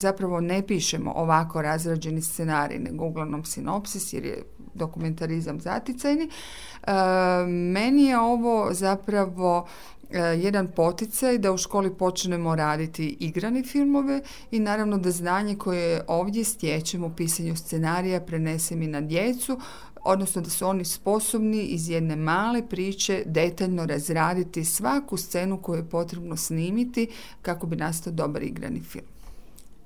Zapravo ne pišemo ovako razrađeni scenarij, nego uglavnom sinopsis jer je dokumentarizam zaticajni. Meni je ovo zapravo jedan poticaj da u školi počnemo raditi igrane filmove i naravno da znanje koje ovdje stječemo u pisanju scenarija prenesem i na djecu, odnosno da su oni sposobni iz jedne male priče detaljno razraditi svaku scenu koju je potrebno snimiti kako bi nastao dobar igrani film.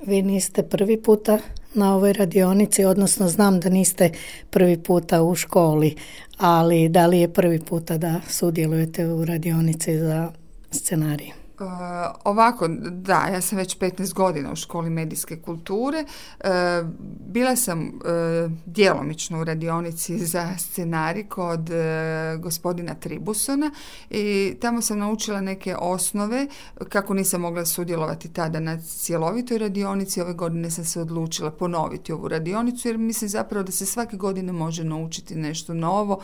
Vi niste prvi puta na ovoj radionici, odnosno znam da niste prvi puta u školi, ali da li je prvi puta da sudjelujete u radionici za scenarij? Ovako, da, ja sam već 15 godina u školi medijske kulture. Bila sam djelomično u radionici za scenarij kod gospodina Tribusona i tamo sam naučila neke osnove kako nisam mogla sudjelovati tada na cjelovitoj radionici. Ove godine sam se odlučila ponoviti ovu radionicu jer mislim zapravo da se svake godine može naučiti nešto novo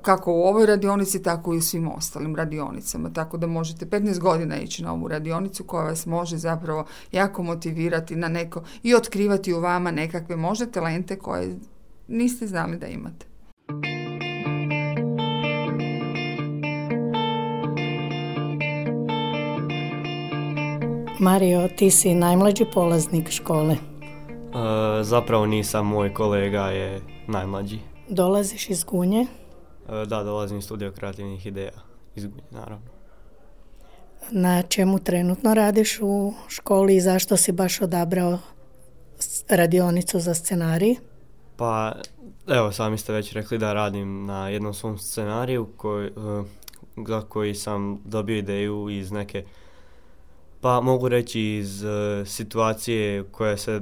kako u ovoj radionici tako i u svim ostalim radionicama. Tako da možete 15 godina ići na ovu radionicu koja vas može zapravo jako motivirati na neko i otkrivati u vama nekakve možda talente koje niste znali da imate. Mario, ti si najmlađi polaznik škole. Zapravo nisam, moj kolega je najmlađi. Dolaziš iz Gunje? Da, dolazim iz Studija kreativnih ideja iz Gunje, naravno. Na čemu trenutno radiš u školi i zašto si baš odabrao radionicu za scenarij? Pa, evo, sami ste već rekli da radim na jednom svom scenariju za koji sam dobio ideju iz neke, pa mogu reći iz situacije koje se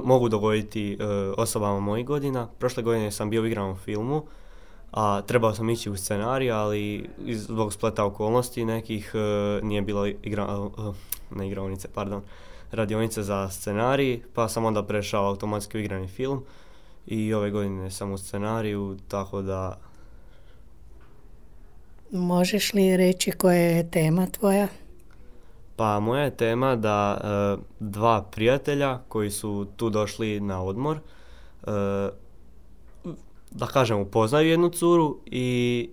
mogu dogoditi osobama mojih godina. Prošle godine sam bio u igranom filmu, a trebao sam ići u scenarij, ali zbog spleta okolnosti nekih nije bilo radionice za scenarij, pa sam onda prešao automatski u igrani film i ove godine sam u scenariju, tako da... Možeš li reći koja je tema tvoja? Pa moja je tema da dva prijatelja koji su tu došli na odmor, da kažem, upoznaju jednu curu i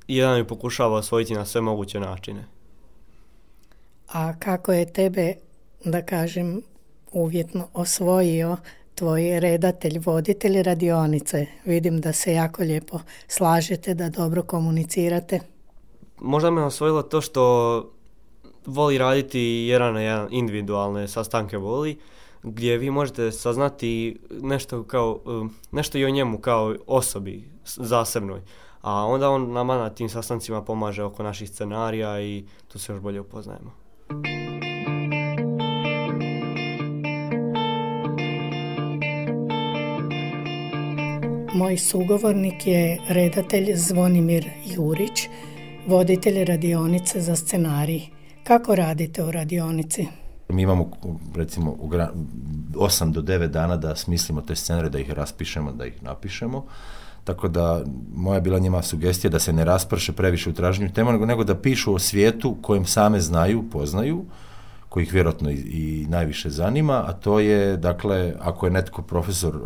jedan ju pokušava osvojiti na sve moguće načine. A kako je tebe, da kažem, uvjetno osvojio tvoj redatelj, voditelj radionice? Vidim da se jako lijepo slažete, da dobro komunicirate. Možda me osvojilo to što voli raditi jedan na jedan, individualne sastanke voli, gdje vi možete saznati nešto i o njemu kao osobi zasebnoj. A onda on nama na tim sastancima pomaže oko naših scenarija i tu se još bolje upoznajemo. Moj sugovornik je redatelj Zvonimir Jurić, voditelj radionice za scenarij. Kako radite u radionici? Mi imamo recimo 8 do 9 dana da smislimo te scenarije, da ih raspišemo, da ih napišemo. Tako da moja je bila njima sugestija da se ne rasprše previše u traženju tema, nego da pišu o svijetu kojem same znaju, poznaju, koji ih vjerojatno i najviše zanima, a to je, dakle, ako je netko profesor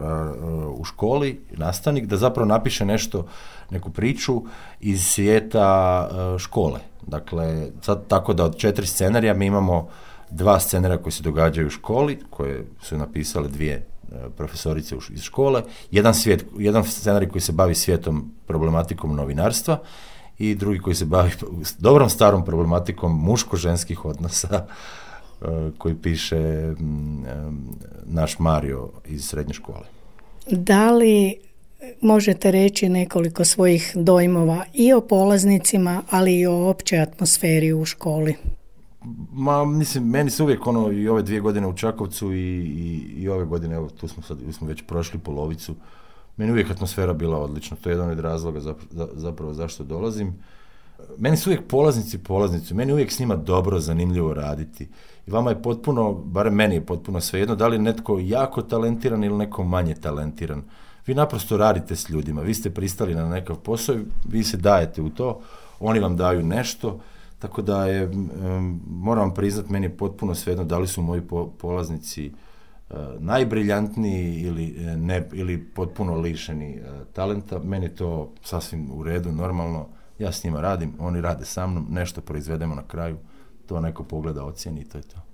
u školi, nastavnik, da zapravo napiše nešto, neku priču iz svijeta škole. Dakle, sad tako da od 4 scenarija mi imamo 2 scenarija koji se događaju u školi, koje su napisale 2 profesorice iz škole, jedan scenarij koji se bavi svijetom, problematikom novinarstva i drugi koji se bavi dobrom starom problematikom muško-ženskih odnosa koji piše naš Mario iz srednje škole. Da li možete reći nekoliko svojih dojmova i o polaznicima, ali i o općoj atmosferi u školi? Mislim, meni se uvijek i ove 2 godine u Čakovcu i ove godine, evo tu smo već prošli polovicu, meni uvijek atmosfera bila odlična. To je jedan od razloga zapravo zašto dolazim. Meni su uvijek polaznici, meni uvijek s njima dobro, zanimljivo raditi. I vama je potpuno, barem meni je potpuno svejedno, da li je netko jako talentiran ili neko manje talentiran. Vi naprosto radite s ljudima, vi ste pristali na nekav posao, vi se dajete u to, oni vam daju nešto, tako da je, moram vam priznat, meni je potpuno svejedno da li su moji polaznici najbriljantniji ili potpuno lišeni talenta. Meni je to sasvim u redu, normalno. Ja s njima radim, oni rade sa mnom, nešto proizvedemo na kraju, to neko pogleda, ocijeni i to je to.